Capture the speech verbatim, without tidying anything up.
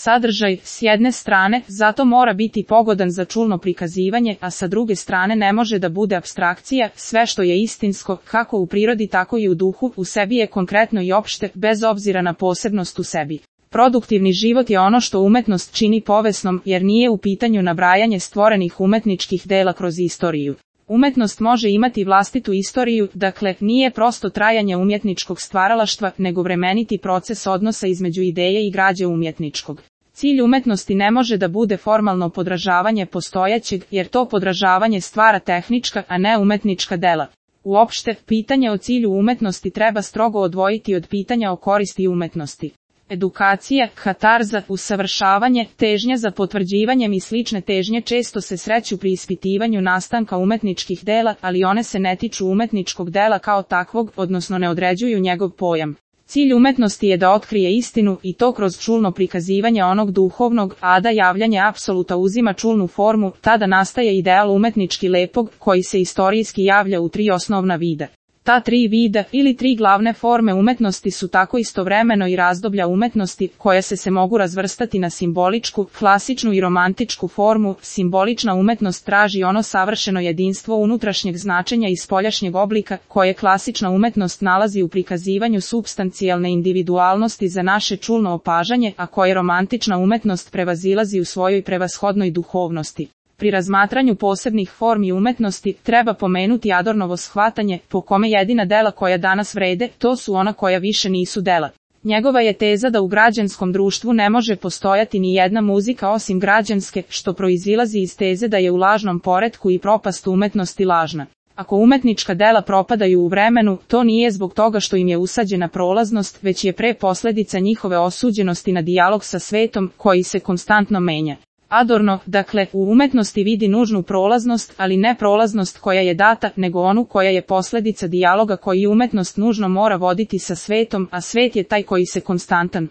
sadržaj, s jedne strane, zato mora biti pogodan za čulno prikazivanje, a sa druge strane ne može da bude apstrakcija, sve što je istinsko, kako u prirodi tako i u duhu, u sebi je konkretno i opšte, bez obzira na posebnost u sebi. Produktivni život je ono što umetnost čini povesnom, jer nije u pitanju nabrajanje stvorenih umetničkih dela kroz istoriju. Umetnost može imati vlastitu istoriju, dakle, nije prosto trajanje umjetničkog stvaralaštva, nego vremeniti proces odnosa između ideje i građe umjetničkog. Cilj umetnosti ne može da bude formalno podražavanje postojećeg, jer to podražavanje stvara tehnička, a ne umetnička dela. Uopšte, pitanje o cilju umetnosti treba strogo odvojiti od pitanja o koristi umetnosti. Edukacija, katarza, usavršavanje, težnja za potvrđivanjem i slične težnje često se sreću pri ispitivanju nastanka umetničkih dela, ali one se ne tiču umetničkog dela kao takvog, odnosno ne određuju njegov pojam. Cilj umetnosti je da otkrije istinu, i to kroz čulno prikazivanje onog duhovnog, a da javljanje apsoluta uzima čulnu formu, tada nastaje ideal umetnički lepog, koji se istorijski javlja u tri osnovna vida. Ta tri vida, ili tri glavne forme umetnosti su tako istovremeno i razdoblja umetnosti, koja se se mogu razvrstati na simboličku, klasičnu i romantičku formu. Simbolična umetnost traži ono savršeno jedinstvo unutrašnjeg značenja i spoljašnjeg oblika, koje klasična umetnost nalazi u prikazivanju supstancijalne individualnosti za naše čulno opažanje, a koje romantična umetnost prevazilazi u svojoj prevashodnoj duhovnosti. Pri razmatranju posebnih formi umetnosti treba pomenuti Adornovo shvatanje, po kome jedina dela koja danas vrede, to su ona koja više nisu dela. Njegova je teza da u građanskom društvu ne može postojati ni jedna muzika osim građanske, što proizilazi iz teze da je u lažnom poretku i propast umetnosti lažna. Ako umetnička dela propadaju u vremenu, to nije zbog toga što im je usađena prolaznost, već je pre posledica njihove osuđenosti na dijalog sa svetom, koji se konstantno menja. Adorno, dakle, u umetnosti vidi nužnu prolaznost, ali ne prolaznost koja je data, nego onu koja je posledica dijaloga koji umetnost nužno mora voditi sa svetom, a svet je taj koji se konstantan